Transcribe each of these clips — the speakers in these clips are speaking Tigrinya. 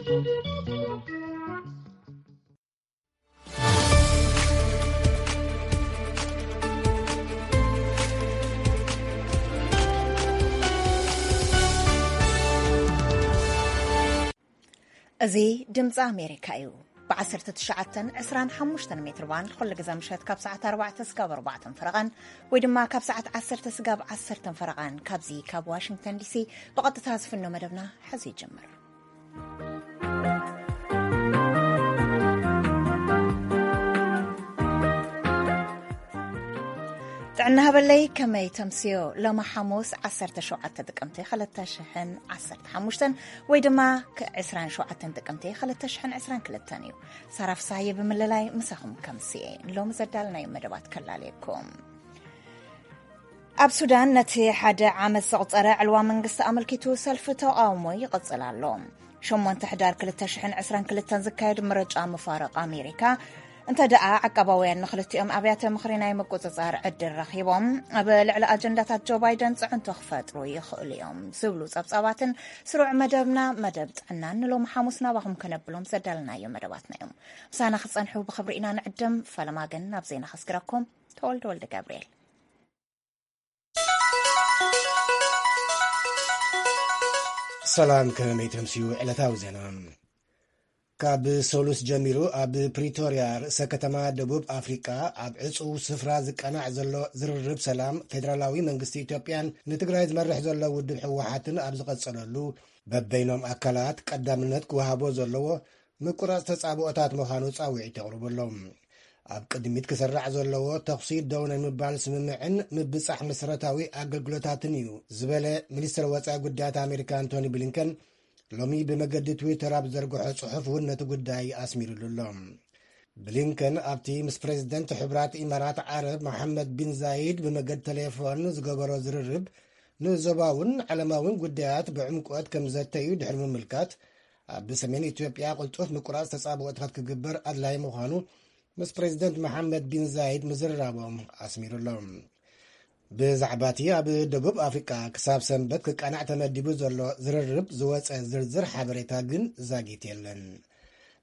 እዚ ድምፂ ኣሜሪካ እዩ። ብ19፣ 25 ሜትር ባንድ ኩሉ ግዜ ምሸት ካብ ሰዓት ኣርባዕተ ስጋብ ኣርባዕተ ፈረቓን ወይ ድማ ካብ ሰዓት ዓሰርተ ስጋብ ዓሰርተ ፈረቓን ካብዚ ካብ ዋሽንግተን ዲሲ ብቐጥታ ዝፍኖ መደብና ሕዚ ይጅምር። ጥዕና ሃበለይ፣ ከመይ ተምስዮ? ሎሚ ሓሙስ ዓሰርተ ሸውዓተ ጥቅምቲ ክልተ ሽሕን ዓሰርተ ሓሙሽተን ወይ ድማ ክ-፣ ዕስራን ሸውዓተን ጥቅምቲ ክልተ ሽሕን ዕስራን ክልተን እዩ። ሳራ ፍሳሃየ ብምልላይ ምሳኹም ከምስየ። ሎሚ ዘዳለናዮ መደባት ከላልየኩም። ኣብ ሱዳን ነቲ ሓደ ዓመት ዘቑጸረ ዕልዋ መንግስቲ ኣመልኪቱ ሰልፊ ተቓውሞ ይቕጽል ኣሎ። ሸሞንተ ሕዳር ክልተ ሽሕን ዕስራን ክልተን ዝካየድ ምርጫ ምፋርቕ ኣሜሪካ፣ እንተ ደኣ ዓቃባውያን ንክልቲኦም ኣብያተ ምኽሪ ናይ ምቁጽጻር ዕድል ረኺቦም፣ ኣብ ልዕሊ ኣጀንዳታት ጆ ባይደን ጽዕንቶ ክፈጥሩ ይኽእሉ እዮም ዝብሉ ጸብጻባትን ስሩዕ መደብና፣ መደብ ጥዕናን ንሎሚ ሓሙስ ናባኹም ከነብሎም ዘዳለናዮ መደባትና እዮም። ምሳና ክጸንሑ ብኽብሪ ኢና ንዕድም። ፈለማ ግን ናብ ዜና ከስግረኩም። ተወልደ ወልደ ገብርኤል። ሰላም፣ ከመይ ተምስዩ? ዕለታዊ ዜና። ካብ ሰሉስ ጀሚሩ ኣብ ፕሪቶርያ፣ ርእሰ ከተማ ደቡብ ኣፍሪቃ፣ ኣብ ዕጹው ስፍራ ዝቀናዕ ዘሎ ዝርርብ ሰላም ፌደራላዊ መንግስቲ ኢትዮጵያን ንትግራይ ዝመርሕ ዘሎ ውድብ ህወሓትን ኣብ ዝቐጸለሉ፣ በበይኖም ኣካላት ቀዳምነት ክወሃቦ ዘለዎ ምቁራጽ ተጻብኦታት ምዃኑ ጻውዒት የቕርቡ ኣለዉ። ኣብ ቅድሚት ክስራዕ ዘለዎ ተኹሲ ደው ናይ ምባል ስምምዕን ምብጻሕ መሰረታዊ ኣገልግሎታትን እዩ ዝበለ ሚኒስትር ወጻኢ ጉዳያት ኣሜሪካ ኣንቶኒ ብሊንከን፣ ሎሚ ብመገዲ ትዊተር ኣብ ዝዘርግሖ ጽሑፍ እውን ነቲ ጉዳይ ኣስሚሩሉ ኣሎ። ብሊንከን ኣብቲ ምስ ፕሬዚደንት ሕቡራት ኢማራት ዓረብ መሓመድ ቢን ዛይድ ብመገዲ ቴሌፎን ዝገበሮ ዝርርብ፣ ንዞባውን ዓለማውን ጉዳያት ብዕምቆት ከም ዘተዩ ድሕሪ ምምልካት፣ ኣብ ሰሜን ኢትዮጵያ ቅልጡፍ ምቁራጽ ተጻብኦታት ክግበር ኣድላይ ምዃኑ ምስ ፕሬዚደንት መሓመድ ቢን ዛይድ ምዝርራቦም ኣስሚሩ ኣሎ። ብዛዕባ እቲ ኣብ ደቡብ ኣፍሪቃ ክሳብ ሰንበት ክቃናዕ ተመዲቡ ዘሎ ዝርርብ ዝወጸ ዝርዝር ሓበሬታ ግን ዛጊት የለን።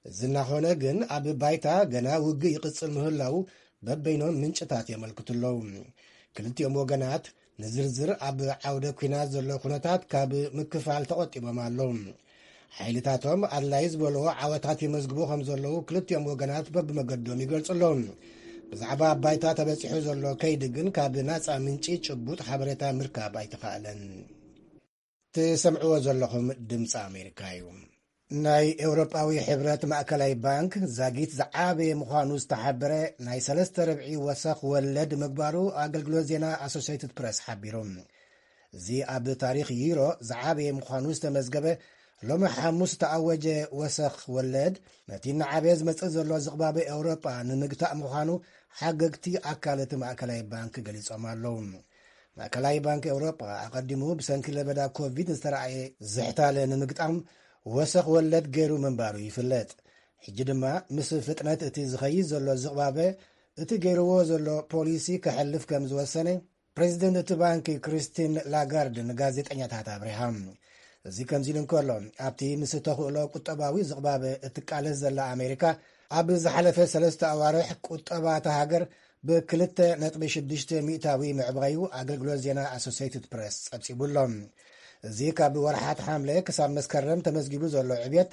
እዚ እናኾነ ግን፣ ኣብ ባይታ ገና ውግእ ይቕጽል ምህላዉ በበይኖም ምንጭታት የመልክቱ ኣለዉ። ክልቲኦም ወገናት ንዝርዝር ኣብ ዓውደ ኲናት ዘሎ ኩነታት ካብ ምክፋል ተቖጢቦም ኣለዉ። ሓይልታቶም ኣድላይ ዝበልዎ ዓወታት የመዝግቡ ከም ዘለዉ ክልቲኦም ወገናት በብመገዶም ይገልጹ ኣለዉ። ብዛዕባ ኣብ ባይታ ተበጺሑ ዘሎ ከይዲ ግን ካብ ናጻ ምንጪ ጭቡጥ ሓበሬታ ምርካብ ኣይተኻእለን። ትሰምዕዎ ዘለኹም ድምፂ ኣሜሪካ እዩ። ናይ ኤውሮጳዊ ሕብረት ማእከላይ ባንክ ዛጊት ዝዓበየ ምዃኑ ዝተሓበረ ናይ ሰለስተ ርብዒ ወሰኽ ወለድ ምግባሩ ኣገልግሎት ዜና ኣሶሲየትድ ፕረስ ሓቢሩ። እዚ ኣብ ታሪኽ ዩሮ ዝዓበየ ምዃኑ ዝተመዝገበ ሎሚ ሓሙስ ዝተኣወጀ ወሰኽ ወለድ፣ ነቲ እናዓበየ ዝመጽእ ዘሎ ዝቕባበ ኤውሮጳ ንምግታእ ምዃኑ ሓገግቲ ኣካል እቲ ማእከላይ ባንክ ገሊጾም ኣለዉ። ማእከላይ ባንክ ኤውሮጳ ኣቐዲሙ ብሰንኪ ለበዳ ኮቪድ ዝተራእየ ዝሕታለ ንምግጣም ወሰኽ ወለድ ገይሩ ምንባሩ ይፍለጥ። ሕጂ ድማ ምስ ፍጥነት እቲ ዝኸይድ ዘሎ ዝቕባበ፣ እቲ ገይርዎ ዘሎ ፖሊሲ ከሕልፍ ከም ዝወሰነ ፕሬዚደንት እቲ ባንክ ክሪስቲን ላጋርድ ንጋዜጠኛታት ኣብሪሃ። እዚ ከምዚ ኢሉ እንከሎ፣ ኣብቲ ምስ ተኽእሎ ቁጠባዊ ዝቕባበ እትቃለስ ዘላ ኣሜሪካ፣ ኣብ ዝሓለፈ ሰለስተ ኣዋርሕ ቁጠባ እታ ሃገር ብ2.6 ሚእታዊ ምዕባዩ ኣገልግሎት ዜና ኣሶሲየትድ ፕረስ ጸብጺቡ ኣሎ። እዚ ካብ ወርሓት ሓምለ ክሳብ መስከረም ተመዝጊቡ ዘሎ ዕብየት፣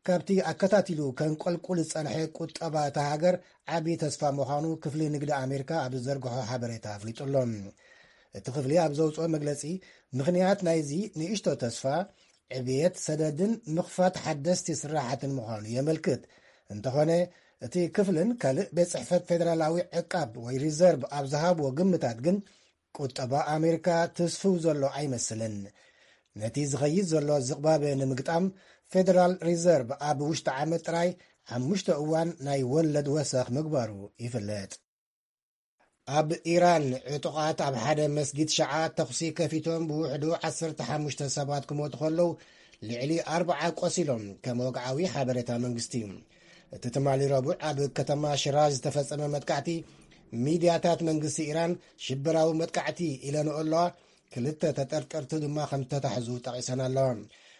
ካብቲ ኣከታቲሉ ከንቆልቁል ዝጸንሐ ቁጠባ እታ ሃገር ዓቢ ተስፋ ምዃኑ ክፍሊ ንግዲ ኣሜሪካ ኣብ ዝዘርግሖ ሓበሬታ ኣፍሊጡ ኣሎ። እቲ ክፍሊ ኣብ ዘውጽኦ መግለጺ፣ ምኽንያት ናይዚ ንእሽቶ ተስፋ፣ ዕብየት ሰደድን ምኽፋት ሓደስቲ ስራሓትን ምዃኑ የመልክት። እንተኾነ፣ እቲ ክፍልን ካልእ ቤት ጽሕፈት ፌደራላዊ ዕቃብ ወይ ሪዘርቭ ኣብ ዝሃብዎ ግምታት ግን፣ ቁጠባ ኣሜሪካ ትስፍው ዘሎ ኣይመስልን። ነቲ ዝኸይድ ዘሎ ዝቕባበ ንምግጣም፣ ፌደራል ሪዘርቭ ኣብ ውሽጢ ዓመት ጥራይ ሓሙሽተ እዋን ናይ ወለድ ወሰኽ ምግባሩ ይፍለጥ። ኣብ ኢራን፣ ዕጡቓት ኣብ ሓደ መስጊድ ሸዓ ተኹሲ ከፊቶም ብውሕዱ ዓሰርተ ሓሙሽተ ሰባት ክሞቱ ከለዉ፣ ልዕሊ ኣርብዓ ቆሲሎም፣ ከም ወግዓዊ ሓበሬታ መንግስቲ እዩ። እቲ ትማሊ ረቡዕ ኣብ ከተማ ሽራዝ ዝተፈጸመ መጥቃዕቲ፣ ሚድያታት መንግስቲ ኢራን ሽበራዊ መጥቃዕቲ ኢለንኦ ኣለዋ፣ ክልተ ተጠርጠርቲ ድማ ከም ዝተታሕዙ ጠቒሰን ኣለዋ።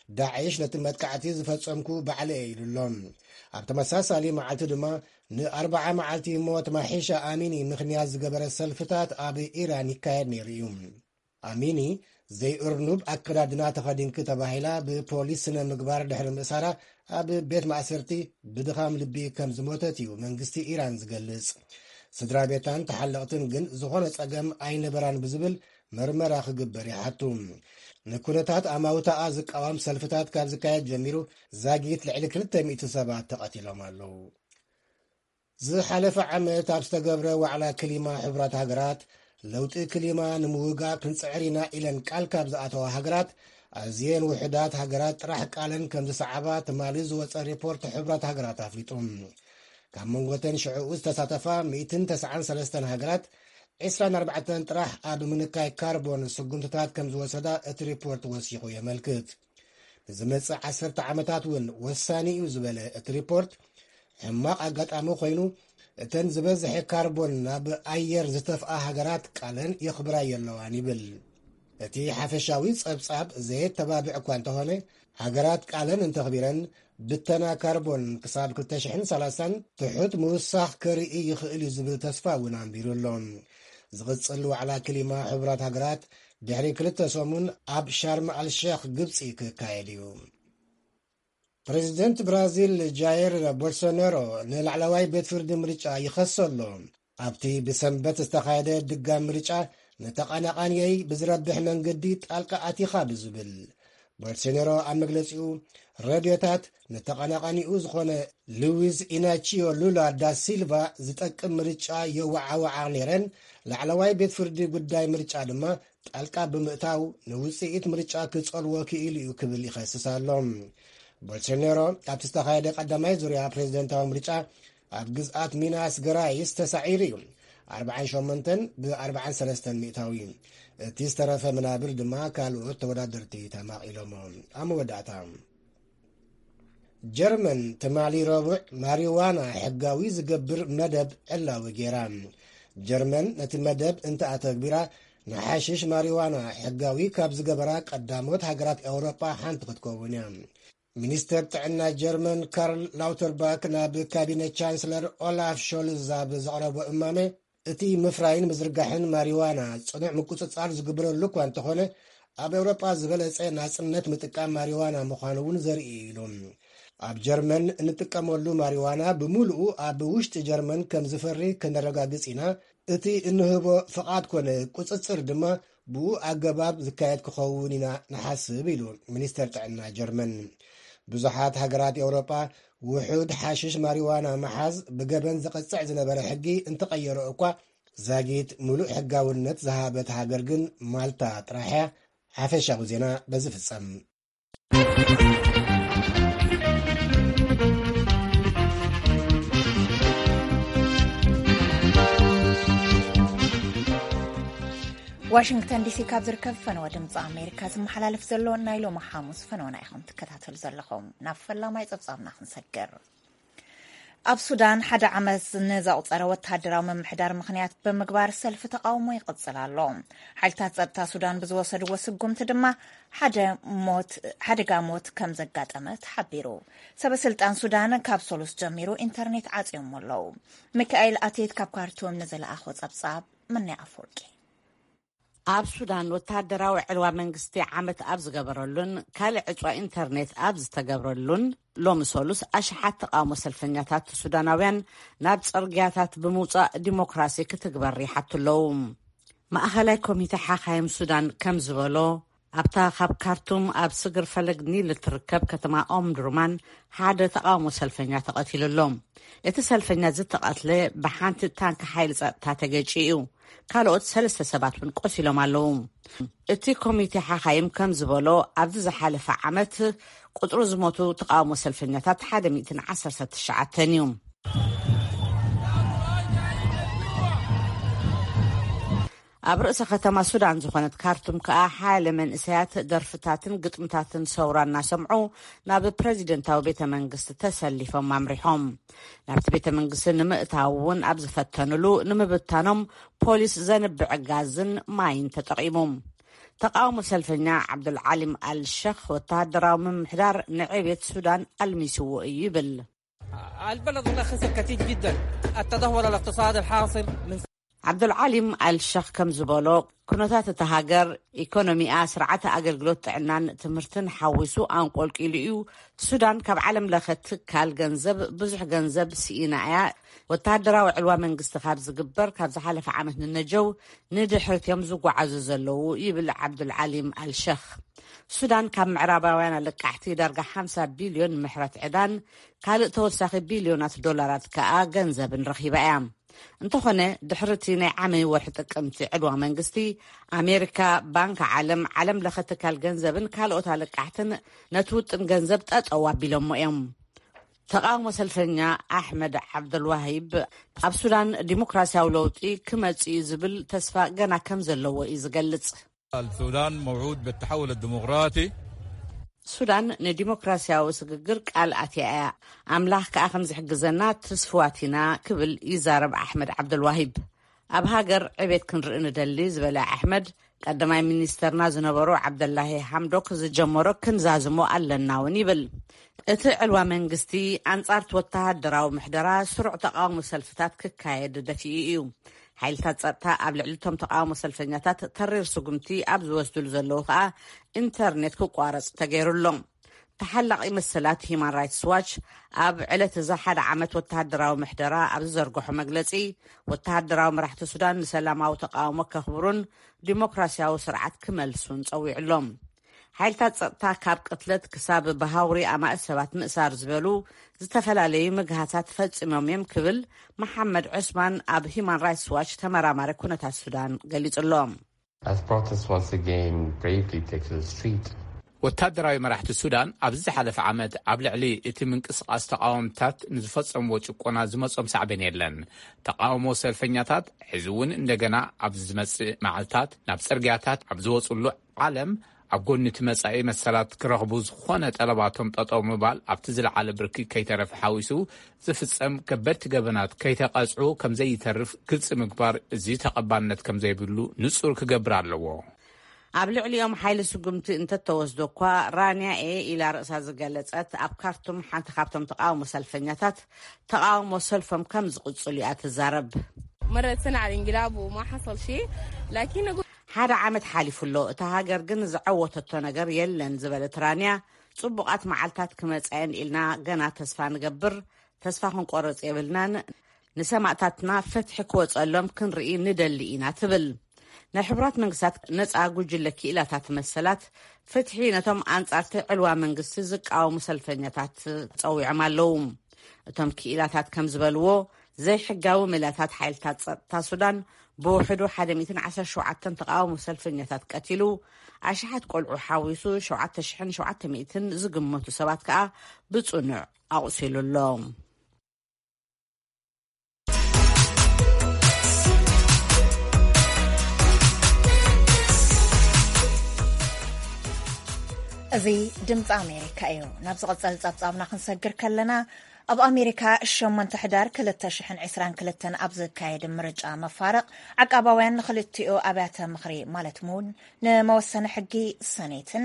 ዳዕሽ ነቲ መጥቃዕቲ ዝፈጸምኩ ባዕለ እየ ኢሉ ኣሎ። ኣብ ተመሳሳሊ መዓልቲ ድማ ንኣርባዓ መዓልቲ ሞት ማሒሻ ኣሚኒ ምኽንያት ዝገበረ ሰልፍታት ኣብ ኢራን ይካየድ ነይሩ እዩ። ኣሚኒ ዘይእርኑብ ኣከዳድና ተኸዲንኪ ተባሂላ ብፖሊስ ስነ ምግባር ድሕሪ ምእሳራ ኣብ ቤት ማእሰርቲ ብድኻም ልቢ ከም ዝሞተት እዩ መንግስቲ ኢራን ዝገልጽ። ስድራ ቤታን ተሓለቕትን ግን ዝኾነ ጸገም ኣይነበራን ብዝብል መርመራ ክግበር ይሓቱ። ንኩነታት ኣማውታኣ ዝቃወም ሰልፍታት ካብ ዝካየድ ጀሚሩ ዛጊት ልዕሊ ክልተ ሚእቲ ሰባት ተቐቲሎም ኣለዉ። ዝሓለፈ ዓመት ኣብ ዝተገብረ ዋዕላ ክሊማ ሕቡራት ሃገራት፣ ለውጢ ክሊማ ንምውጋእ ክንጽዕር ኢና ኢለን ቃል ካብ ዝኣተዋ ሃገራት፣ ኣዝየን ውሑዳት ሃገራት ጥራሕ ቃለን ከም ዝሰዓባ ትማሊ ዝወጸ ሪፖርት ሕቡራት ሃገራት ኣፍሊጡ። ካብ መንጎተን ሽዕኡ ዝተሳተፋ ሚእትን ተስዓን ሰለስተን ሃገራት፣ ዕስራን ኣርባዕተን ጥራሕ ኣብ ምንካይ ካርቦን ስጉምትታት ከም ዝወሰዳ እቲ ሪፖርት ወሲኹ የመልክት። ንዝመጽእ ዓሰርተ ዓመታት እውን ወሳኒ እዩ ዝበለ እቲ ሪፖርት፣ ሕማቕ ኣጋጣሚ ኮይኑ፣ እተን ዝበዝሐ ካርቦን ናብ ኣየር ዝተፍኣ ሃገራት ቃለን የኽብራ የለዋን ይብል። እቲ ሓፈሻዊ ጸብጻብ ዘየተባብዕ እኳ እንተኾነ፣ ሃገራት ቃለን እንተኽቢረን፣ ብተና ካርቦን ክሳብ ክልተ ሽሕን ሰላሳን ትሑት ምውሳኽ ከርኢ ይኽእል እዩ ዝብል ተስፋ እውን ኣንቢሩ ኣሎ። ዝቕጽል ዋዕላ ክሊማ ሕቡራት ሃገራት ድሕሪ ክልተ ሰሙን ኣብ ሻርም ኣልሸኽ ግብጺ ክካየድ እዩ። ፕሬዚደንት ብራዚል ጃይር ቦልሶናሮ ንላዕለዋይ ቤት ፍርዲ ምርጫ ይኸሶ ኣሎ። ኣብቲ ብሰንበት ዝተኻየደ ድጋም ምርጫ ንተቐናቓንየይ ብዝረብሕ መንገዲ ጣልቃ ኣቲኻ ብዝብል። ቦልሶናሮ ኣብ መግለጺኡ፣ ረድዮታት ንተቐናቓኒኡ ዝኾነ ሉዊዝ ኢናቺዮ ሉላ ዳ ሲልቫ ዝጠቅም ምርጫ የወዓውዓ ነይረን፣ ላዕለዋይ ቤት ፍርዲ ጉዳይ ምርጫ ድማ ጣልቃ ብምእታው ንውጽኢት ምርጫ ክጸልዎ ክኢሉ እዩ ክብል ይኸስስ ኣሎ። ቦልሶናሮ ኣብቲ ዝተኻየደ ቀዳማይ ዙርያ ፕሬዚደንታዊ ምርጫ ኣብ ግዝኣት ሚናስ ገራይስ ተሳዒሩ እዩ። ኣርባዓን ሸሞንተን ብ43 ሚእታዊ። እቲ ዝተረፈ መናብር ድማ ካልኦት ተወዳደርቲ ተማቒሎሞ። ኣብ መወዳእታ፣ ጀርመን ትማሊ ረቡዕ ማሪዋና ሕጋዊ ዝገብር መደብ ዕላዊ ገይራ። ጀርመን ነቲ መደብ እንተኣተግቢራ፣ ንሓሽሽ ማሪዋና ሕጋዊ ካብ ዝገበራ ቀዳሞት ሃገራት ኤውሮጳ ሓንቲ ክትከውን እያ። ሚኒስተር ጥዕና ጀርመን ካርል ላውተርባክ ናብ ካቢነ ቻንስለር ኦላፍ ሾልዝ ኣብ ዘቕረቦ እማመ፣ እቲ ምፍራይን ምዝርጋሕን ማሪዋና ጽኑዕ ምቁጽጻር ዝግበረሉ እኳ እንተኾነ፣ ኣብ ኤውሮጳ ዝበለጸ ናጽነት ምጥቃም ማሪዋና ምዃኑ እውን ዘርኢ እዩ ኢሉ። ኣብ ጀርመን እንጥቀመሉ ማሪዋና ብምሉኡ ኣብ ውሽጢ ጀርመን ከም ዝፈሪ ከነረጋግጽ ኢና። እቲ እንህቦ ፍቓድ ኮነ ቁጽጽር ድማ ብኡ ኣገባብ ዝካየድ ክኸውን ኢና ንሓስብ ኢሉ ሚኒስተር ጥዕና ጀርመን። ብዙሓት ሃገራት ኤውሮጳ ውሑድ ሓሽሽ ማሪዋና ምሓዝ ብገበን ዝቐጽዕ ዝነበረ ሕጊ እንተቐየሮ እኳ፣ ዛጊት ምሉእ ሕጋውነት ዝሃበት ሃገር ግን ማልታ ጥራሕ እያ። ሓፈሻዊ ዜና በዚ ፍጸም። ዋሽንግተን ዲሲ ካብ ዝርከብ ፈነወ ድምፂ ኣሜሪካ ዝመሓላለፍ ዘሎ ናይ ሎሚ ሓሙስ ፈነወና ኢኹም ትከታተሉ ዘለኹም። ናብ ፈላማይ ፀብፃብና ክንሰግር። ኣብ ሱዳን ሓደ ዓመት ንዘቑፀረ ወተሃደራዊ ምምሕዳር ምኽንያት ብምግባር ሰልፊ ተቓውሞ ይቕፅል ኣሎ። ሓይልታት ጸጥታ ሱዳን ብዝወሰድዎ ስጉምቲ ድማ ሓደ ሞት፣ ሓደጋ ሞት ከም ዘጋጠመ ተሓቢሩ። ሰበ ስልጣን ሱዳን ካብ ሰሉስ ጀሚሩ ኢንተርኔት ዓጽዮሞ ኣለዉ። ሚካኤል ኣቴት ካብ ካርቱም ንዝለኣኾ ጸብጻብ ምንያ ኣፈወርቂ። ኣብ ሱዳን ወተሃደራዊ ዕልዋ መንግስቲ ዓመት ኣብ ዝገበረሉን ካልእ ዕጽዋ ኢንተርኔት ኣብ ዝተገብረሉን ሎሚ ሰሉስ ኣሽሓት ተቓውሞ ሰልፈኛታት ሱዳናውያን ናብ ጽርግያታት ብምውጻእ ዲሞክራሲ ክትግበር ይሓቱ ኣለዉ። ማእኸላይ ኮሚተ ሓኻይም ሱዳን ከም ዝበሎ፣ ኣብታ ካብ ካርቱም ኣብ ስግር ፈለግ ኒል እትርከብ ከተማ ኦምድሩማን ሓደ ተቓውሞ ሰልፈኛ ተቐቲሉ ኣሎ። እቲ ሰልፈኛ ዝተቐትለ ብሓንቲ ታንክ ሓይሊ ጸጥታ ተገጭዩ እዩ። ካልኦት ሰለስተ ሰባት እውን ቆሲሎም ኣለዉ። እቲ ኮሚቴ ሓኻይም ከም ዝበሎ፣ ኣብዚ ዝሓለፈ ዓመት ቁጽሪ ዝሞቱ ተቓውሞ ሰልፈኛታት ሓደ ሚእትን ዓሰርተ ትሽዓተን እዩ። ኣብ ርእሰ ከተማ ሱዳን ዝኾነት ካርቱም ከኣ ሓያለ መንእሰያት ደርፍታትን ግጥምታትን ሰውራ እናሰምዑ ናብ ፕረዚደንታዊ ቤተ መንግስቲ ተሰሊፎም ኣምሪሖም። ናብቲ ቤተ መንግስቲ ንምእታው እውን ኣብ ዝፈተኑሉ ንምብታኖም ፖሊስ ዘንብዕ ጋዝን ማይን ተጠቒሙ። ተቃውሞ ሰልፈኛ ዓብዱልዓሊም ኣልሸኽ፣ ወተሃደራዊ ምምሕዳር ንዕቤት ሱዳን ኣልሚስዎ እዩ ይብል። البلد والله خسر كثير جدا. التدهور الاقتصادي الحاصل من ዓብዱልዓሊም ኣልሸኽ ከም ዝበሎ፣ ኩነታት እታ ሃገር፣ ኢኮኖሚኣ፣ ስርዓተ ኣገልግሎት ጥዕናን ትምህርትን ሓዊሱ ኣንቆልቂሉ እዩ። ሱዳን ካብ ዓለም ለኸ ትካል ገንዘብ ብዙሕ ገንዘብ ስኢና እያ። ወተሃደራዊ ዕልዋ መንግስቲ ካብ ዝግበር ካብ ዝሓለፈ ዓመት ንነጀው ንድሕርት እዮም ዝጓዓዙ ዘለዉ ይብል ዓብዱልዓሊም ኣልሸኽ። ሱዳን ካብ ምዕራባውያን ኣለቃሕቲ ዳርጋ ሓምሳ ቢልዮን ምሕረት ዕዳን ካልእ ተወሳኺ ቢልዮናት ዶላራት ከኣ ገንዘብን ረኺባ እያ። እንተኾነ ድሕሪ እቲ ናይ ዓመይ ወርሒ ጥቅምቲ ዕልዋ መንግስቲ፣ ኣሜሪካ፣ ባንክ ዓለም፣ ዓለም ለኸ ትካል ገንዘብን ካልኦት ኣለቃሕትን ነቲ ውጥን ገንዘብ ጠጠው ኣቢሎሞ እዮም። ተቃውሞ ሰልፈኛ ኣሕመድ ዓብደልዋሂብ ኣብ ሱዳን ዲሞክራሲያዊ ለውጢ ክመጽእ እዩ ዝብል ተስፋ ገና ከም ዘለዎ እዩ ዝገልጽ። السودان موعود بالتحول الديمقراطي. ሱዳን ንዲሞክራሲያዊ ስግግር ቃል ኣትያ እያ። ኣምላኽ ከኣ ከም ዝሕግዘና ትስፍዋት ኢና ክብል ይዛረብ ኣሕመድ ዓብደልዋሂብ። ኣብ ሃገር ዕቤት ክንርኢ ንደሊ ዝበለ ኣሕመድ፣ ቀዳማይ ሚኒስተርና ዝነበሩ ዓብደላሂ ሓምዶክ ዝጀመሮ ክንዛዝሞ ኣለና እውን ይብል። እቲ ዕልዋ መንግስቲ ኣንጻርቲ ወተሃደራዊ ምሕደራ ስሩዕ ተቃውሞ ሰልፍታት ክካየድ ደፊኡ እዩ። ሓይልታት ጸጥታ ኣብ ልዕሊ እቶም ተቃውሞ ሰልፈኛታት ተሪር ስጉምቲ ኣብ ዝወስድሉ ዘለዉ ከኣ ኢንተርኔት ክቋረጽ ተገይሩ ኣሎ። ተሓላቒ መሰላት ሂማን ራይትስ ዋች ኣብ ዕለት እዛ ሓደ ዓመት ወተሃደራዊ ምሕደራ ኣብ ዝዘርግሖ መግለጺ፣ ወተሃደራዊ መራሕቲ ሱዳን ንሰላማዊ ተቃውሞ ከኽብሩን ዲሞክራሲያዊ ስርዓት ክመልሱን ጸዊዑ ኣሎ። ሓይልታት ጸጥታ ካብ ቅትለት ክሳብ ብሃውሪ ኣማእት ሰባት ምእሳር ዝበሉ ዝተፈላለዩ ምግሃሳት ፈጺሞም እዮም ክብል መሓመድ ዑስማን ኣብ ሂማን ራይትስ ዋች ተመራማሪ ኩነታት ሱዳን ገሊጹ ኣሎ። As protests once again bravely take to the street. ወታደራዊ መራሕቲ ሱዳን ኣብዚ ዝሓለፈ ዓመት ኣብ ልዕሊ እቲ ምንቅስቃስ ተቃወምታት ንዝፈጸምዎ ጭቆና ዝመጾም ሳዕቤን የለን። ተቃውሞ ሰልፈኛታት ሕዚ እውን እንደገና ኣብ ዝመጽእ መዓልታት ናብ ጽርግያታት ኣብ ዝወጽሉ ዓለም ኣብ ጎኒ እቲ መጻኢ መሰላት ክረኽቡ ዝኾነ ጠለባቶም ጠጠው ምባል ኣብቲ ዝለዓለ ብርኪ ከይተረፈ ሓዊሱ ዝፍጸም ከበድቲ ገበናት ከይተቐጽዑ ከም ዘይተርፍ ግልጺ ምግባር እዚ ተቐባልነት ከም ዘይብሉ ንጹር ክገብር ኣለዎ። ኣብ ልዕሊኦም ሓይሊ ስጉምቲ እንተተወስዶ እኳ ራንያ እየ ኢላ ርእሳ ዝገለጸት ኣብ ካርቱም ሓንቲ ካብቶም ተቃውሞ ሰልፈኛታት ተቃውሞ ሰልፎም ከም ዝቕጽሉ እያ ትዛረብ። مرت سنة على الانقلاب وما حصل شيء، لكن أقول ሓደ ዓመት ሓሊፉ ኣሎ፣ እታ ሃገር ግን ዝዓወተቶ ነገር የለን ዝበለት ራንያ፣ ጽቡቓት መዓልታት ክመጻየን ኢልና ገና ተስፋ ንገብር፣ ተስፋ ክንቆርጽ የብልናን፣ ንሰማእታትና ፍትሒ ክወጸሎም ክንርኢ ንደሊ ኢና ትብል። ናይ ሕቡራት መንግስታት ነጻ ጉጅለ ክኢላታት መሰላት ፍትሒ ነቶም ኣንጻርቲ ዕልዋ መንግስቲ ዝቃወሙ ሰልፈኛታት ጸዊዖም ኣለዉ። እቶም ክኢላታት ከም ዝበልዎ፣ ዘይሕጋዊ ሜላታት ሓይልታት ጸጥታ ሱዳን ብውሕዱ ሓደ ሚእትን ዓሰርተ ሸውዓተን ተቃውሞ ሰልፈኛታት ቀቲሉ፣ ኣሽሓት ቆልዑ ሓዊሱ ሸውዓተ ሽሕን ሸውዓተ ሚእትን ዝግመቱ ሰባት ከኣ ብጽኑዕ ኣቑሲሉ ኣሎ። እዚ ድምፂ ኣሜሪካ እዩ። ናብ ዝቐጸል ጸብጻብና ክንሰግር ከለና፣ ኣብ ኣሜሪካ ሸሞንተ ሕዳር ክልተ ሽሕን ዕስራን ክልተን ኣብ ዝካየድ ምርጫ መፋርቕ፣ ዓቃባውያን ንኽልቲኡ ኣብያተ ምኽሪ ማለት እውን ንመወሰኒ ሕጊ ሰኔትን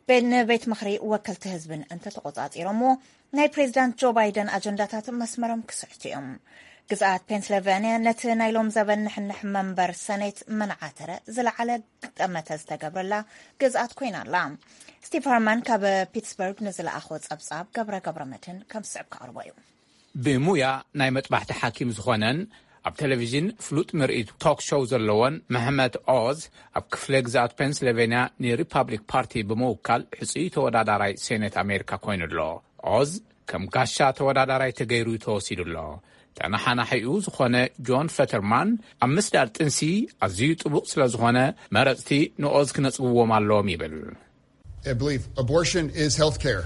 ቤ- ንቤት ምኽሪ ወከልቲ ህዝብን እንተተቆጻጺሮምዎ፣ ናይ ፕሬዚዳንት ጆ ባይደን ኣጀንዳታት መስመሮም ክስሕቱ እዮም። ግዝኣት ፔንስልቫንያ ነቲ ናይ ሎም ዘበን ንሕንሕ መንበር ሰኔት መናዓተረ ዝለዓለ ግጠመተ ዝተገብረላ ግዝኣት ኮይና ኣላ። ስቲቭ ሃርማን ካብ ፒትስበርግ ንዝለኣኾ ጸብጻብ ገብረ ገብረ መድህን ከም ዝስዕብ ከቕርቦ እዩ። ብሙያ ናይ መጥባሕቲ ሓኪም ዝኾነን ኣብ ቴሌቪዥን ፍሉጥ ምርኢት ቶክ ሾው ዘለዎን መሕመድ ኦዝ ኣብ ክፍለ ግዝኣት ፔንስልቬንያ ንሪፓብሊክ ፓርቲ ብምውካል ሕፁይ ተወዳዳራይ ሴኔት ኣሜሪካ ኮይኑ ኣሎ። ኦዝ ከም ጋሻ ተወዳዳራይ ተገይሩ ተወሲዱ ኣሎ። ተነሓናሒኡ ዝኾነ ጆን ፈተርማን ኣብ ምስዳድ ጥንሲ ኣዝዩ ጥቡቕ ስለ ዝኾነ መረፅቲ ንኦዝ ክነፅግዎም ኣለዎም ይብል። I believe abortion is health care,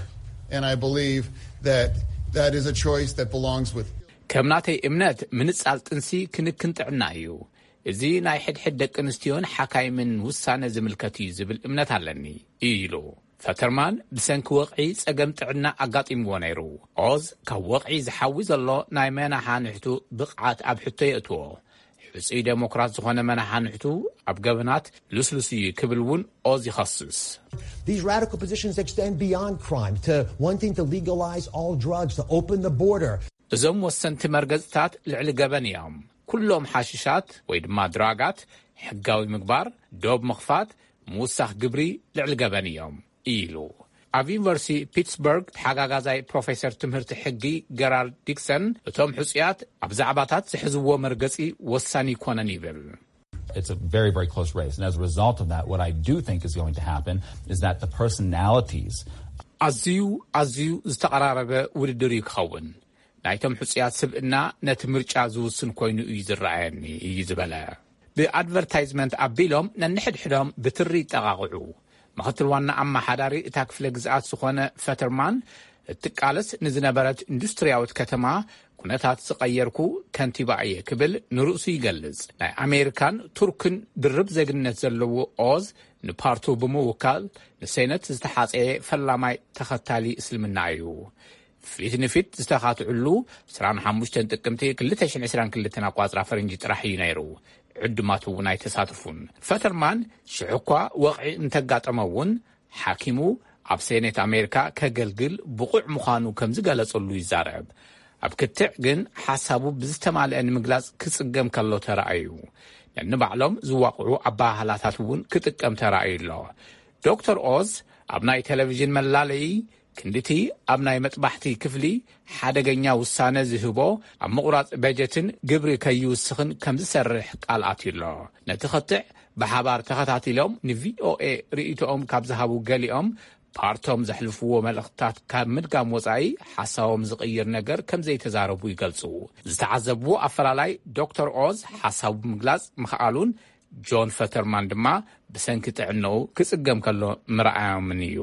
and I believe that that is a choice that belongs with ከም ናተይ እምነት ምንጻል ጥንሲ ክንክን ጥዕና እዩ። እዚ ናይ ሕድሕድ ደቂ ኣንስትዮን ሓካይምን ውሳነ ዝምልከት እዩ ዝብል እምነት ኣለኒ ኢሉ። ፈተርማን ብሰንኪ ወቕዒ ጸገም ጥዕና ኣጋጢምዎ ነይሩ። ኦዝ ካብ ወቕዒ ዝሓዊ ዘሎ ናይ መናሓንሕቱ ብቕዓት ኣብ ሕቶ የእትዎ። ሕጹይ ዴሞክራት ዝኾነ መናሓንሕቱ ኣብ ገበናት ልስሉስ እዩ ክብል እውን ኦዝ ይኸስስ። These radical positions extend beyond crime to wanting to legalize all drugs, to open the border. እዞም ወሰንቲ መርገጽታት ልዕሊ ገበን እዮም። ኩሎም ሓሽሻት ወይ ድማ ድራጋት ሕጋዊ ምግባር፣ ዶብ ምኽፋት፣ ምውሳኽ ግብሪ ልዕሊ ገበን እዮም ኢሉ። ኣብ ዩኒቨርሲቲ ፒትስበርግ ተሓጋጋዛይ ፕሮፌሰር ትምህርቲ ሕጊ ገራርድ ዲክሰን፣ እቶም ሕጹያት ኣብ ዛዕባታት ዝሕዝዎ መርገጺ ወሳኒ ይኮነን ይብል። It's a very, very close race. And as a result of that, what I do think is going to happen is that the personalities ኣዝዩ ኣዝዩ ዝተቐራረበ ውድድር እዩ ክኸውን። ናይቶም ሕጹያት ስብእና ነቲ ምርጫ ዝውስን ኮይኑ እዩ ዝረኣየኒ እዩ ዝበለ። ብኣድቨርታይዝመንት ኣቢሎም ነንሕድሕዶም ብትሪ ይጠቓቕዑ። ምኽትል ዋና ኣመሓዳሪ እታ ክፍለ ግዝኣት ዝኾነ ፈተርማን፣ እትቃለስ ንዝነበረት ኢንዱስትርያዊት ከተማ ኩነታት ዝቐየርኩ ከንቲባ እየ ክብል ንርእሱ ይገልጽ። ናይ ኣሜሪካን ቱርክን ድርብ ዜግነት ዘለዎ ኦዝ ንፓርቱ ብምውካል ንሴነት ዝተሓጸየ ፈላማይ ተኸታሊ እስልምና እዩ። ፊት ንፊት ዝተኻትዕሉ ዕስራን ሓሙሽተን ጥቅምቲ ክልተ ሽሕን ዕስራን ክልተን ኣቋጽራ ፈረንጂ ጥራሕ እዩ ነይሩ። ዕዱማት እውን ኣይተሳተፉን። ፈተርማን ሽሕ እኳ ወቕዒ እንተጋጠመ እውን ሓኪሙ ኣብ ሴኔት ኣሜሪካ ከገልግል ብቑዕ ምዃኑ ከም ዝገለጸሉ ይዛረብ። ኣብ ክትዕ ግን ሓሳቡ ብዝተማልአ ንምግላጽ ክጽገም ከሎ ተራእዩ። ነንባዕሎም ዝዋቕዑ ኣበሃህላታት እውን ክጥቀም ተራእዩ ኣሎ። ዶክተር ኦዝ ኣብ ናይ ቴሌቪዥን መላለዪ ክንድቲ ኣብ ናይ መጥባሕቲ ክፍሊ ሓደገኛ ውሳነ ዝህቦ ኣብ ምቑራጽ በጀትን ግብሪ ከይውስኽን ከም ዝሰርሕ ቃል ኣትዩ ኣሎ። ነቲ ኸትዕ ብሓባር ተኸታቲሎም ንቪኦኤ ርእይቶኦም ካብ ዝሃቡ ገሊኦም ፓርቶም ዘሕልፍዎ መልእኽትታት ካብ ምድጋም ወጻኢ ሓሳቦም ዝቕይር ነገር ከም ዘይተዛረቡ ይገልጹ። ዝተዓዘብዎ ኣፈላላይ ዶክተር ኦዝ ሓሳቡ ምግላጽ ምኽኣሉን ጆን ፈተርማን ድማ ብሰንኪ ጥዕናኡ ክጽገም ከሎ ምርኣዮምን እዩ።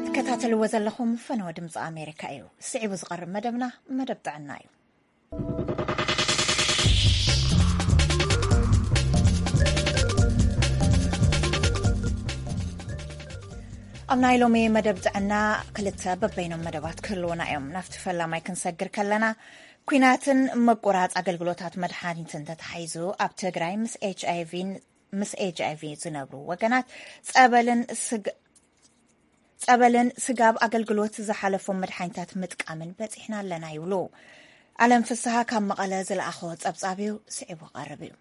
ትከታተልዎ ዘለኹም ፈነወ ድምፂ ኣሜሪካ እዩ። ስዒቡ ዝቐርብ መደብና መደብ ጥዕና እዩ። ኣብ ናይ ሎሚ መደብ ጥዕና ክልተ በበይኖም መደባት ክህልውና እዮም። ናብቲ ፈላማይ ክንሰግር ከለና፣ ኲናትን ምቁራጽ ኣገልግሎታት መድሓኒትን ተተሓሒዙ ኣብ ትግራይ ምስ ኤች ኣይ ቪን ምስ ኤች ኣይ ቪ ዝነብሩ ወገናት ጸበልን ስግ ጸበልን ስጋብ ኣገልግሎት ዝሓለፎም መድሓኒታት ምጥቃምን በጺሕና ኣለና ይብሉ። ኣለም ፍስሃ ካብ መቐለ ዝለኣኾ ጸብጻብ እዩ፣ ስዒቡ ቀርብ እዩ።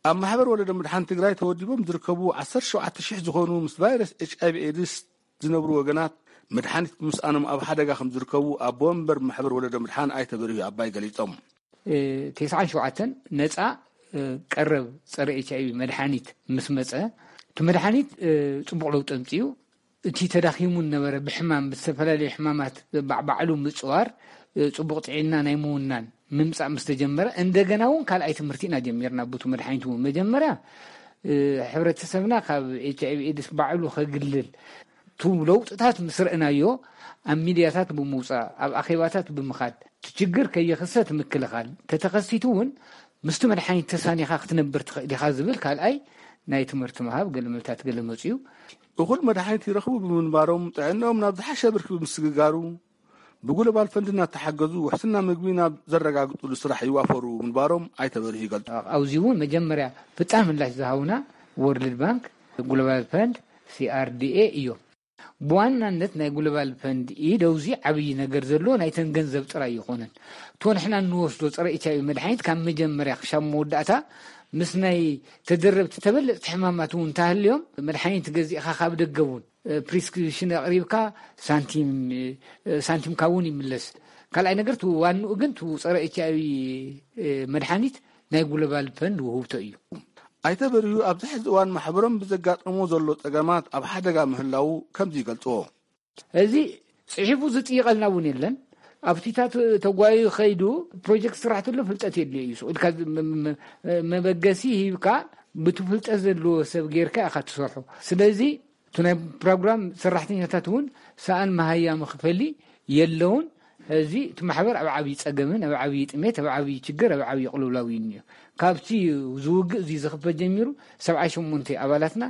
ኣብ ማሕበር ወለዶ ምድሓን ትግራይ ተወዲቦም ዝርከቡ ዓሰርተ ሸውዓተ ሽሕ ዝኾኑ ምስ ቫይረስ ኤች ኣይ ቪ ኤድስ ዝነብሩ ወገናት መድሓኒት ብምስኣኖም ኣብ ሓደጋ ከም ዝርከቡ ኣቦ ወንበር ማሕበር ወለዶ ምድሓን ኣይተ በሪሁ ኣባይ ገሊጾም። ተስዓን ሸውዓተን ነፃ ቀረብ ፀረ ኤች ኣይ ቪ መድሓኒት ምስ መፀ እቲ መድሓኒት ፅቡቕ ለውጢ ኣምፅኡ። እቲ ተዳኺሙ ዝነበረ ብሕማም ብዝተፈላለዩ ሕማማት ባዕባዕሉ ምፅዋር ፅቡቕ ጥዕና ናይ ምውናን ምምፃእ ምስ ተጀመረ እንደገና እውን ካልኣይ ትምህርቲ ኢና ጀሚርና። ብቱ መድሓኒት እውን መጀመርያ ሕብረተሰብና ካብ ኤች ኣይ ቪ ኤድስ ባዕሉ ከግልል ቱ ለውጥታት ምስ ረእናዮ ኣብ ሚድያታት ብምውፃእ ኣብ ኣኼባታት ብምኻድ እቲ ችግር ከይኽሰት ምክልኻል ተተኸሲቱ እውን ምስቲ መድሓኒት ተሳኒኻ ክትነብር ትኽእል ኢኻ ዝብል ካልኣይ ናይ ትምህርቲ ምሃብ ገለ መልታት ገለ መፅኡ። እኹል መድሓኒት ይረኽቡ ብምንባሮም ጥዕናኦም ናብ ዝሓሸ ብርኪ ብምስግጋሩ ብጉለባል ፈንድ እናተሓገዙ ውሕስና ምግቢ ናብ ዘረጋግጥሉ ስራሕ ይዋፈሩ ምንባሮም ኣይተበርህ ይገልፁ። ኣብዚ እውን መጀመርያ ፍጣን ምላሽ ዝሃቡና ወርልድ ባንክ፣ ጉለባል ፈንድ፣ ሲ ኣር ዲ ኤ እዮም። ብዋናነት ናይ ጉለባል ፈንድ ኢድ ኣብዚ ዓብዪ ነገር ዘሎ ናይተን ገንዘብ ጥራይ ይኾነን። እቶ ንሕና እንወስዶ ፀረ ኤች ኣይ ቪ መድሓኒት ካብ መጀመርያ ክሻብ መወዳእታ ምስ ናይ ተደረብቲ ተበለፅቲ ሕማማት እውን እንተሃልዮም መድሓኒት ገዚእኻ ካብ ደገ እውን ፕሪስክሪፕሽን ኣቕሪብካ ሳንቲም ሳንቲምካ እውን ይምለስ። ካልኣይ ነገር እቲ ዋንኡ ግን እቲ ፀረ ኤች ኣይ ቪ መድሓኒት ናይ ጉለባል ፈንድ ውህብቶ እዩ። ኣይተ በርሁ ኣብዚ ሕዚ እዋን ማሕበሮም ብዘጋጠሞ ዘሎ ፀገማት ኣብ ሓደጋ ምህላዉ ከምዚ ይገልፅዎ። እዚ ፅሒፉ ዝጥይቐልና እውን የለን። ኣብቲታት ተጓዩ ከይዱ ፕሮጀክት ስራሕ ተሎ ፍልጠት የድልዮ እዩ። ኢልካ መበገሲ ሂብካ ብቲ ፍልጠት ዘለዎ ሰብ ጌርካ ኢኻ ትሰርሖ። ስለዚ እቲ ናይ ፕሮግራም ሰራሕተኛታት እውን ሰኣን መሃያ መኽፈሊ የለውን። እዚ እቲ ማሕበር ኣብ ዓብዪ ፀገምን ኣብ ዓብዪ ጥሜት ኣብ ዓብዪ ችግር ኣብ ዓብዪ ቅልውላው እዩ እኒኦ። ካብቲ ዝውግእ እዚ ዝኽፈት ጀሚሩ ሰብዓ ሸሞንተ ኣባላትና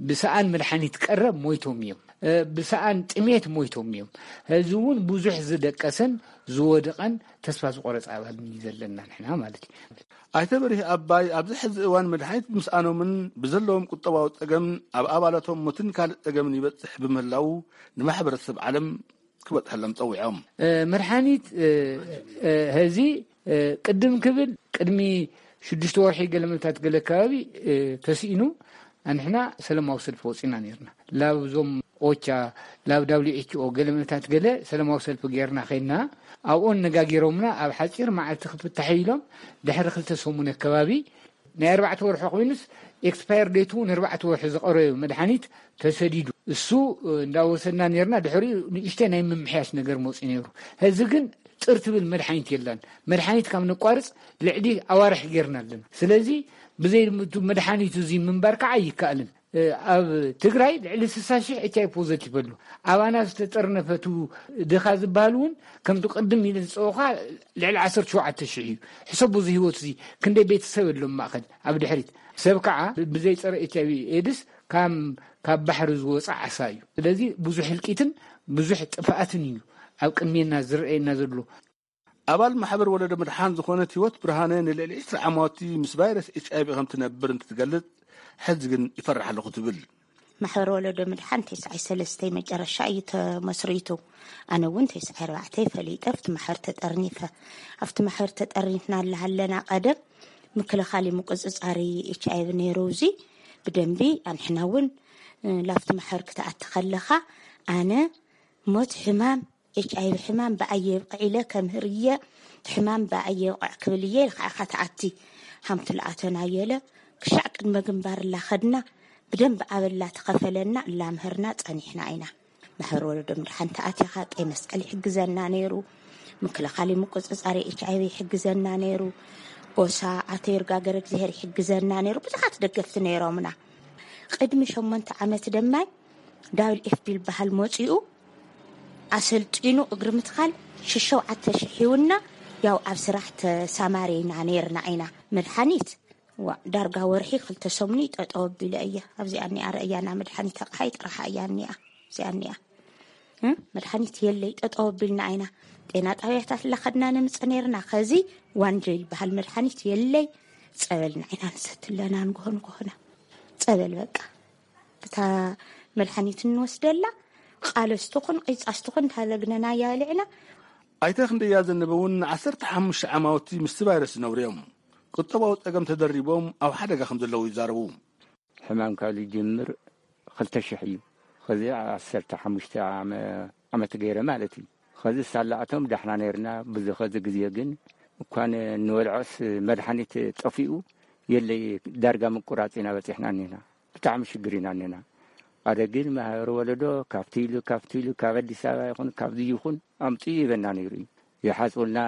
ብሰኣን መድሓኒት ቀረብ ሞይቶም እዮም። ብሰኣን ጥሜት ሞይቶም እዮም። ሕዚ እውን ብዙሕ ዝደቀሰን ዝወደቐን ተስፋ ዝቆረፀ ኣባል እዩ ዘለና ንሕና ማለት እዩ። ኣይተ በርሂ ኣባይ ኣብዚ ሕዚ እዋን መድሓኒት ብምስኣኖምን ብዘለዎም ቁጠባዊ ፀገም ኣብ ኣባላቶም ሞትን ካልእ ፀገምን ይበፅሕ ብምህላው ንማሕበረሰብ ዓለም ክበፅሐሎም ፀዊዖም። መድሓኒት ሕዚ ቅድም ክብል ቅድሚ ሽዱሽተ ወርሒ ገለመታት ገለ ከባቢ ተስኢኑ ኣንሕና ሰለማዊ ሰልፊ ወፂና ነርና። ላብ ዞም ኦቻ ላብ ዳብሊው ኤች ኦ ገለመታት ገለ ሰለማዊ ሰልፊ ገይርና ከይና ኣብኦን ነጋጊሮምና ኣብ ሓፂር መዓልቲ ክፍታሕ ኢሎም ድሕሪ ክልተ ሰሙን ኣከባቢ ናይ ኣርባዕተ ወርሒ ኮይኑስ ኤክስፓየር ዴቱ እውን ኣርባዕተ ወርሒ ዝቐረዩ መድሓኒት ተሰዲዱ እሱ እንዳወሰድና ነርና። ድሕሪኡ ንእሽተ ናይ ምምሕያሽ ነገር መፅኡ ነይሩ። ሕዚ ግን ጥር ትብል መድሓኒት የላን። መድሓኒት ካብ ነቋርፅ ልዕሊ ኣዋርሕ ጌርና ኣለና። ስለዚ ብዘይ መድሓኒቱ እዚ ምንባር ከዓ ኣይከኣልን። ኣብ ትግራይ ልዕሊ ስሳ ሽሕ ኤች ኣይ ፖዘቲቭ ኣሎ። ኣባና ዝተጠርነፈቱ ድኻ ዝበሃል እውን ከምቲ ቅድም ኢለ ዝፀወኻ ልዕሊ ዓሰርተ ሸውዓተ ሽሕ እዩ። ሕሰቡ እዚ ህይወት እዚ ክንደይ ቤተሰብ ኣሎ ማእኸል ኣብ ድሕሪት ሰብ ከዓ ብዘይ ፀረ ኤች ኣይ ቪ ኤድስ ካብ ካብ ባሕሪ ዝወፃ ዓሳ እዩ። ስለዚ ብዙሕ ህልቂትን ብዙሕ ጥፍኣትን እዩ ኣብ ቅድሜና ዝረኣየና ዘሎ። ኣባል ማሕበር ወለዶ ምድሓን ዝኾነት ህይወት ብርሃነ ንልዕሊ ዕስራ ዓማውቲ ምስ ቫይረስ ኤች ኣይ ቪ ከም ትነብር እንትትገልጽ ሕዚ ግን ይፈርሕ ኣለኹ ትብል። ማሕበር ወለዶ ምድሓን ተስዓይ ሰለስተ መጨረሻ እዩ ተመስሪቱ። ኣነ እውን ተስዓይ ኣርባዕተ ፈሊጠ ኣብቲ ማሕበር ተጠርኒፈ። ኣብቲ ማሕበር ተጠርኒፍና ኣለሃለና ቀደም ምክልኻል ምቁፅፃሪ ኤች ኣይ ቪ ነይሩ። እዚ ብደንቢ ኣንሕና እውን ላፍቲ ማሕበር ክትኣቲ ከለኻ ኣነ ሞት ሕማም ኤች ኣይ ቪ ሕማም ብኣየ የብቕዕ ኢለ ከምህር እየ፣ ሕማም ብኣየ የብቕዕ ክብል እየ ኢልካ ኢኻ ትኣቲ። ሃምቲ ልኣተና የለ ክሻዕ ቅድመ ግንባር እላኸድና ብደንብ ኣበላ ተኸፈለና እላምህርና ጸኒሕና ኢና። ማሕበር ወለዶ ምድሓን ተኣቲኻ ቀይ መስቀል ይሕግዘና ነይሩ፣ ምክልኻል ምቁጽጻር ኤች ኣይ ቪ ይሕግዘና ነይሩ፣ ኦሳ ኣቶ ይርጋገር እግዚኣብሔር ይሕግዘና ነይሩ። ብዙሓት ደገፍቲ ነይሮምና። ቅድሚ ሸሞንተ ዓመት ደማይ ዳብል ኤፍ ቢ ዝበሃል መጺኡ ኣሰልጢኑ እግሪ ምትኻል ሽሸውዓተ ሽሕ ሂውና። ያው ኣብ ስራሕ ተሳማሪና ነይርና ኢና። መድሓኒት ዋ ዳርጋ ወርሒ ክልተ ሰሙን ጠጠው ኣቢለ እየ። ኣብዚኣ እኒኣ ረእያና መድሓኒት ኣቕሓይ ጥራሓ እያ እኒኣ። እዚኣ እኒኣ መድሓኒት የለይ ጠጠው ኣቢልና ኢና። ጤና ጣብያታት ለኸድና ነምፀ ነይርና። ከዚ ዋንጀ ይበሃል መድሓኒት የለይ። ፀበልና ኢና ንሰትለና ንጎሆ ንጎሆና ፀበል በቃ እታ መድሓኒት እንወስደላ ቃለስ ትኹን ቂጻስ ትኹን ታለግነና ያልዕና። ኣይተ ክንደያ ዘነበ እውን ንዓሰርተ ሓሙሽተ ዓማውቲ ምስቲ ቫይረስ ዝነብሩ እዮም። ቁጠባዊ ጸገም ተደሪቦም ኣብ ሓደጋ ከም ዘለዉ ይዛረቡ። ሕማም ካብ ዝጅምር ክልተ ሽሕ እዩ። ኸዚ ዓሰርተ ሓሙሽተ ዓመ- ዓመት ገይረ ማለት እዩ። ኸዚ ሳላኣቶም ዳሕና ነይርና። ብዚ ኸዚ ግዜ ግን እኳ ን- ንበልዖስ መድሓኒት ጠፊኡ የለይ። ዳርጋ ምቁራፅ ኢና በፂሕና እኒና። ብጣዕሚ ሽግር ኢና እኒና። ኣደ ግን ማህበር ወለዶ ካብቲ ኢሉ ካብቲ ኢሉ ካብ ኣዲስ ኣበባ ይኹን ካብዚ ይኹን ኣምፅኡ ይበና ነይሩ እዩ። ይሓፅቡልና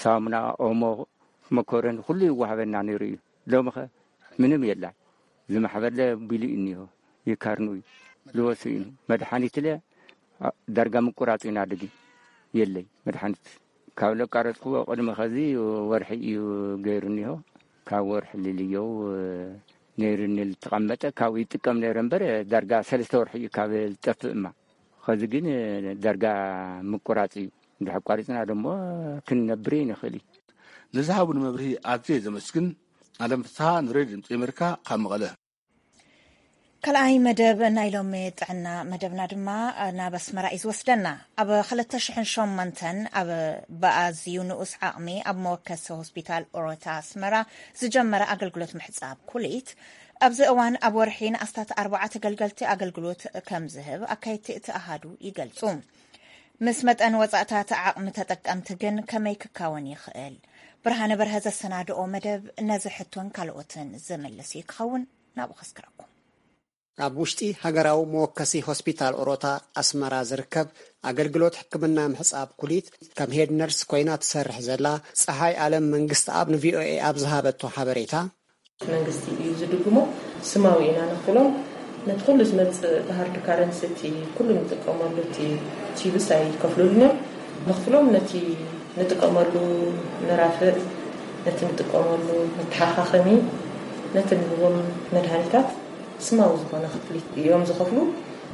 ሳሙና፣ ኦሞ፣ መኮረን ኩሉ ይዋሃበና ነይሩ እዩ። ሎምኸ ምንም የላን። ዝማሕበርለ ቢሉ እኒሆ ይካርኑ እዩ ልወሱ እዩ። መድሓኒትለ ዳርጋ ምቁራፅ ኢና ድግ የለይ መድሓኒት ካብ ለቃረፅኩዎ ቅድሚ ኸዚ ወርሒ እዩ ገይሩ እኒሆ። ካብ ወርሒ ልልየው ነይሩኒ ልተቐመጠ ካብኡ ይጥቀም ነይረ እምበር ዳርጋ ሰለስተ ወርሒ እዩ ካብ ዝጠፍእ እማ ኸዚ ግን ዳርጋ ምቁራፅ እዩ። እንድሕር ኣቋሪፅና ደሞ ክንነብር ንኽእል እዩ። ንዝሃቡን መብርሂ ኣዝየ ዘመስግን። ኣለም ፍስሃ ንሬድዮ ድምፂ ኣሜሪካ ካብ መቐለ። ካልኣይ መደብ ናይ ሎሚ ጥዕና መደብና ድማ ናብ ኣስመራ እዩ ዝወስደና። ኣብ ክልተ ሽሕን ሸሞንተን ኣብ ብኣዝዩ ንኡስ ዓቕሚ ኣብ መወከሲ ሆስፒታል ኦሮታ ኣስመራ ዝጀመረ ኣገልግሎት ምሕጻብ ኩሊት ኣብዚ እዋን ኣብ ወርሒ ንኣስታት ኣርባዓ ተገልገልቲ ኣገልግሎት ከም ዝህብ ኣካየድቲ እቲ ኣሃዱ ይገልጹ። ምስ መጠን ወጻእታት ዓቕሚ ተጠቀምቲ ግን ከመይ ክካወን ይኽእል? ብርሃነ በርሀ ዘሰናድኦ መደብ ነዚ ሕቶን ካልኦትን ዝምልስ እዩ ክኸውን። ናብኡ ከስክረኩም። ኣብ ውሽጢ ሃገራዊ መወከሲ ሆስፒታል ኦሮታ ኣስመራ ዝርከብ ኣገልግሎት ሕክምና ምሕጻብ ኩሊት ከም ሄድ ነርስ ኮይና ትሰርሕ ዘላ ጸሃይ ኣለም መንግስቲ ኣብ ንቪኦኤ ኣብ ዝሃበቶ ሓበሬታ መንግስቲ እዩ ዝድግሞ። ስማዊ ኢና ነኽፍሎም። ነቲ ኩሉ ዝመጽእ ብሃርድ ካረንሲ እቲ ኩሉ ንጥቀመሉ እቲ ቲብስ ኣይከፍሉልን እዮም። ነኽፍሎም ነቲ ንጥቀመሉ መራፍእ፣ ነቲ ንጥቀመሉ መተሓኻኸሚ፣ ነቲ ንህቦም መድሃኒታት ስማዊ ዝኾነ ክፍሊት እዮም ዝኸፍሉ።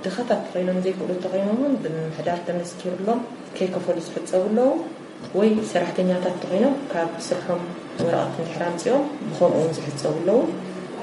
ድኻታት ተኾይኖም ዘይክእሉ ተኾይኖም እውን ብምምሕዳር ተመስኪሩሎም ከይከፈሉ ዝሕፀቡ ኣለዉ። ወይ ሰራሕተኛታት ተኾይኖም ካብ ስርሖም ወረቐት እንድሕር ኣምፂኦም ብኸምኡ እውን ዝሕፀቡ ኣለዉ።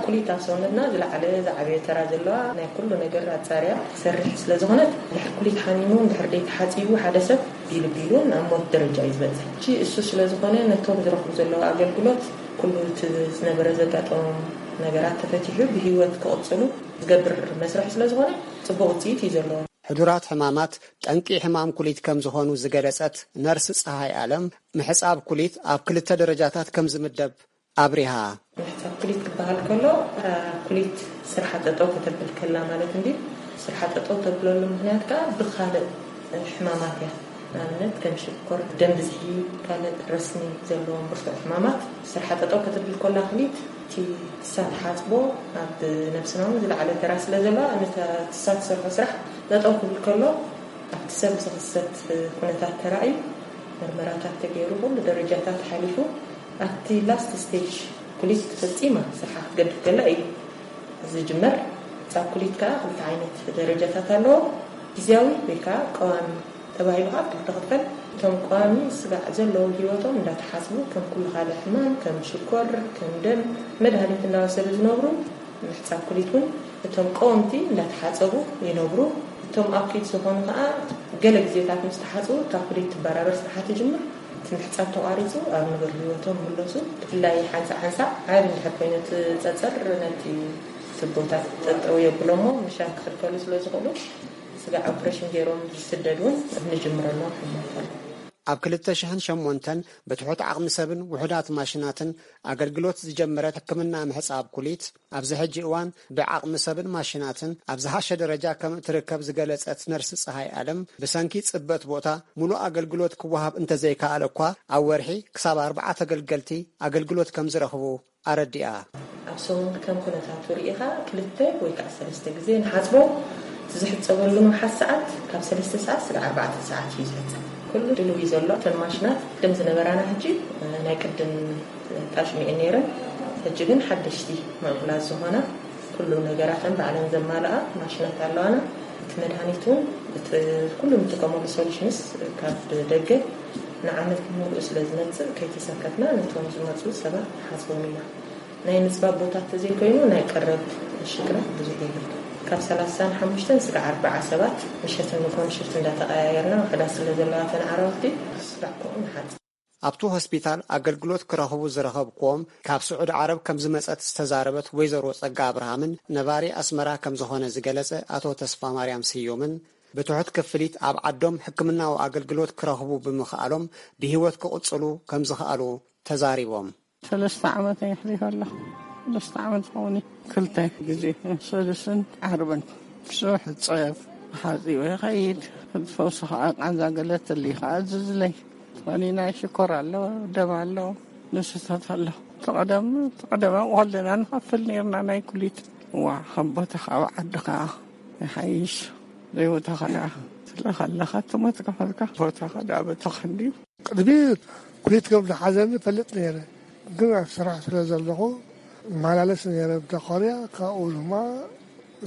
ኩሊት ኣብ ሰውነትና ዝለዓለ ዝዓበየ ተራ ዘለዋ ናይ ኩሉ ነገር ኣፃርያ ትሰርሕ ስለ ዝኾነት፣ ድሕር ኩሊት ሓሚሙ እንድሕር ደይተሓፂቡ ሓደ ሰብ ቢሉ ቢሉ ናብ ሞት ደረጃ እዩ ዝበፅሕ። እሱ ስለ ዝኾነ ነቶም ዝረኽቡ ዘለዉ ኣገልግሎት ኩሉ እቲ ዝነበረ ዘጋጠሞም ነገራት ተፈቲሑ ብህይወት ክቕፅሉ ዝገብር መስርሕ ስለ ዝኾነ ፅቡቕ ውፅኢት እዩ ዘለዎ። ሕዱራት ሕማማት ጠንቂ ሕማም ኩሊት ከም ዝኾኑ ዝገለጸት ነርስ ፀሃይ ኣለም፣ ምሕጻብ ኩሊት ኣብ ክልተ ደረጃታት ከም ዝምደብ ኣብሪሃ። ምሕጻብ ኩሊት ክበሃል ከሎ፣ ኩሊት ስርሓ ጠጠው ከተብል ከላ ማለት እንዲ፣ ስርሓ ጠጠው ተብለሉ ምኽንያት ከኣ ብኻልእ ሕማማት እያ። ንኣብነት ከም ሽኮር፣ ደም ብዝሒ፣ ካልእ ረስኒ ዘለዎም ብርቱዕ ሕማማት። ስርሓ ጠጠው ከተብል ከላ ኩሊት እቲ ትሳ ትሓጽቦ ኣብ ነብስና እውን ዝለዓለ ተራ ስለ ዘለዋ፣ ነታ ትሳ ትሰርሖ ስራሕ ጠጠው ክብል ከሎ ኣብቲ ሰብ ዝኽሰት ኩነታት ተራእዩ፣ ምርመራታት ተገይሩ፣ ኩሉ ደረጃታት ሓሊፉ፣ ኣብቲ ላስት ስቴጅ ኩሊት ፈጺማ ስርሓ ክትገድፍ ከላ እዩ ዝጅመር። ጻብ ኩሊት ከኣ ክልተ ዓይነት ደረጃታት ኣለዎ። ግዝያዊ ወይ ከኣ ቀዋሚ ተባሂሉ ከኣ ክልተ ክፈል። እቶም ቀዋሚ ስጋዕ ዘለዉ ህይወቶም እንዳተሓስቡ ከም ኩሉ ካልእ ሕማም ከም ሽኮር፣ ከም ደም መድሃኒት እንዳወሰዱ ዝነብሩ፣ ምሕጻብ ኩሊት እውን እቶም ቀወምቲ እንዳተሓጸቡ ይነብሩ። እቶም ኣኪድ ዝኾኑ ከኣ ገለ ግዜታት ምስ ተሓጽቡ እታ ኩሊት ትበራበር ስርሓ ትጅምር። እቲ ምሕጻብ ተቋሪጹ ኣብ ንቡር ህይወቶም ይምለሱ። ብፍላይ ሓንሳእ ሓንሳእ ዓቢ እንድሕር ኮይኑ እቲ ጸጸር ነቲ ቱቦታት ጠጠው የብሎ እሞ ምሻን ክኽልከሉ ስለ ዝኽእሉ ስጋዕ ኦፕሬሽን ገይሮም ዝስደድ እውን ንጅምረሎም ሕሞት ኣሎ። ኣብ ክልተ ሽሕን ሸሞንተን ብትሑት ዓቕሚ ሰብን ውሑዳት ማሽናትን ኣገልግሎት ዝጀመረት ሕክምና ምሕጻብ ኩሊት፣ ኣብዚ ሕጂ እዋን ብዓቕሚ ሰብን ማሽናትን ኣብ ዝሓሸ ደረጃ ከም እትርከብ ዝገለጸት ነርስ ጸሃይ ኣለም፣ ብሰንኪ ጽበት ቦታ ሙሉእ ኣገልግሎት ክወሃብ እንተዘይከኣለ እኳ፣ ኣብ ወርሒ ክሳብ ኣርባዓ ተገልገልቲ ኣገልግሎት ከም ዝረኽቡ ኣረዲኣ። ኣብ ሰሙን ከም ኩነታቱ ርኢኻ ክልተ ወይ ከዓ ሰለስተ ግዜ ንሓፅቦ። እቲ ዝሕፀበሉ ንውሓት ሰዓት ካብ ሰለስተ ሰዓት ስጋዕ ኣርባዕተ ሰዓት እዩ ዝሕፀብ። ኩሉ ድልው እዩ ዘሎ። እተን ማሽናት ቅድም ዝነበራና ሕጂ ናይ ቅድም ጣሽሚኤን ነይረን። ሕጂ ግን ሓደሽቲ ምዕቡላት ዝኾና ኩሉ ነገራተን ባዕለን ዘማልኣ ማሽናት ኣለዋና። እቲ መድሃኒት እውን እቲ ኩሉ እንጥቀመሉ ሶሉሽንስ ካብ ደገ ንዓመት ሙሉእ ስለ ዝመፅእ ከይተሰከፍና ነቶም ዝመፁ ሰባት ንሓስቦም ኢና። ናይ ምፅባብ ቦታ ተዘይኮይኑ ናይ ቀረብ ሽግራት ብዙሕ የለን። ካብ ሰላሳን ሓሙሽተን ስጋዕ ኣርባዓ ሰባት ምሸትን ንግሆን ሽፍት እንዳተቀያየርና ውሕዳት ስለ ዘለዋ ተን ዓረብቲ ስጋዕ ከምኡ ንሓፅብ። ኣብቲ ሆስፒታል ኣገልግሎት ክረኽቡ ዝረኸብክዎም ካብ ስዑዲ ዓረብ ከም ዝመጸት ዝተዛረበት ወይዘሮ ጸጋ ኣብርሃምን ነባሪ ኣስመራ ከም ዝኾነ ዝገለጸ ኣቶ ተስፋ ማርያም ስዩምን ብትሑት ክፍሊት ኣብ ዓዶም ሕክምናዊ ኣገልግሎት ክረኽቡ ብምኽኣሎም ብህይወት ክቕጽሉ ከም ዝኽኣሉ ተዛሪቦም። ሰለስተ ዓመት የሕሊፈ ኣለኹ። ሰለስተ ዓመት ዝኸውን እዩ። ክልተ ግዜ ሰሉስን ዓርብን። ብዙሕ እፀየፍ፣ ሓፂቡ ይኸይድ። ፈውሲ ከዓ ቃንዛ ገለ ትልይ ከዓ እዝዝለይ። ወኒ ናይ ሽኮር ኣሎ፣ ደም ኣሎ፣ ንስታት ኣሎ። ተቐደም ተቐደም ኣብኡ ከለና ንኸፍል ነርና ናይ ኩሊት። እዋ ከም ቦታኻ ኣብ ዓድኻ ይሓይሽ። ዘይቦታኻ ደኣ ስለ ከለኻ ትሞት ከፈልካ ቦታኻ ደኣ በተኸንዲ። ቅድሚ ኩሊት ከም ዝሓዘኒ ፈልጥ ነይረ፣ ግን ኣብ ስራሕ ስለ ዘለኹ እመላለስ ነይረ ብዳኮርያ። ካብኡ ድማ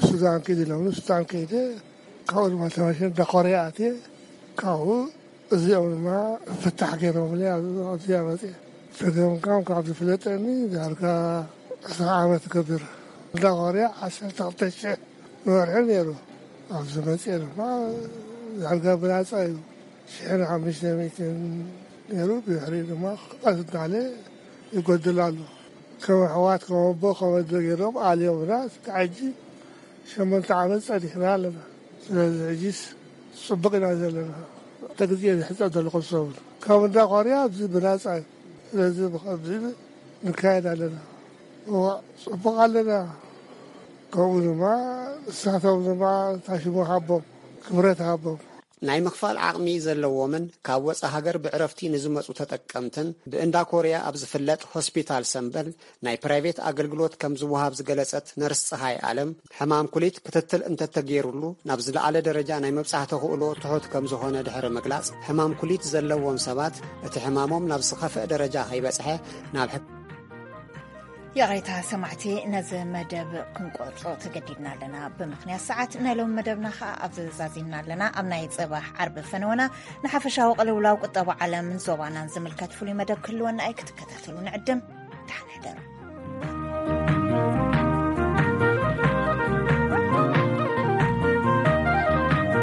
ሱዳን ኪድ ኢሎምኒ፣ ሱዳን ከይደ። ካብኡ ድማ ተመልሰ ዳኮርያ ኣትየ። ካብኡ እዚኦም ድማ ፍታሕ ገይሮምለይ ኣብዚ መፅየ። ተገምጋም ካብ ዝፍለጠኒ ዳርጋ ዕስራ ዓመት ገብር። ዳኮርያ ዓሰርተ ክልተ ሽሕ ንወርሒ ነይሩ። ኣብዚ መፅየ ድማ ዳርጋ ብናፃ እዩ። ሽሕን ሓሙሽተ ሚእትን ነይሩ። ብድሕሪ ድማ ቀስ እናለ ይጎድል ኣሎ። ከም ኣሕዋት ከም ኣቦ ከም ኣደ ገይሮም ኣልዮምና። እስካብ ሕጂ ሸሞንተ ዓመት ጸኒሕና ኣለና። ስለዚ ሕጂስ ጽቡቕ ኢና ዘለና። ክልተ ግዜ ዝሕጸብ ዘለኹ ሰሙን ካብ እንዳ ኮርያ ኣብዚ ብናጻ እዩ። ስለዚ ብኸምዚ ንካየድ ኣለና። እዋ ጽቡቕ ኣለና። ከምኡ ድማ ንሳቶም ድማ ታሽሙ ሃቦም፣ ክብረት ሃቦም። ናይ ምኽፋል ዓቕሚ ዘለዎምን ካብ ወጻ ሃገር ብዕረፍቲ ንዝመጹ ተጠቀምትን ብእንዳ ኮርያ ኣብ ዝፍለጥ ሆስፒታል ሰምበል ናይ ፕራይቬት ኣገልግሎት ከም ዝወሃብ ዝገለጸት ነርስ ጸሃይ ኣለም፣ ሕማም ኩሊት ክትትል እንተተገይሩሉ ናብ ዝለዓለ ደረጃ ናይ ምብጻሕ ተኽእሎ ትሑት ከም ዝኾነ ድሕሪ ምግላጽ፣ ሕማም ኩሊት ዘለዎም ሰባት እቲ ሕማሞም ናብ ዝኸፍአ ደረጃ ከይበጽሐ ናብ ሕክ- ይቕሬታ ሰማዕቲ፣ ነዚ መደብ ክንቆርጾ ተገዲድና ኣለና ብምኽንያት ሰዓት። ናይ ሎሚ መደብና ኸኣ ኣብዚ ዛዚምና ኣለና። ኣብ ናይ ጽባሕ ዓርቢ ፈነወና ንሓፈሻዊ ቅልውላው ቁጠባ ዓለምን ዞባናን ዝምልከት ፍሉይ መደብ ክህልወና እዩ። ክትከታተሉ ንዕድም። ደሓን ሕደሩ።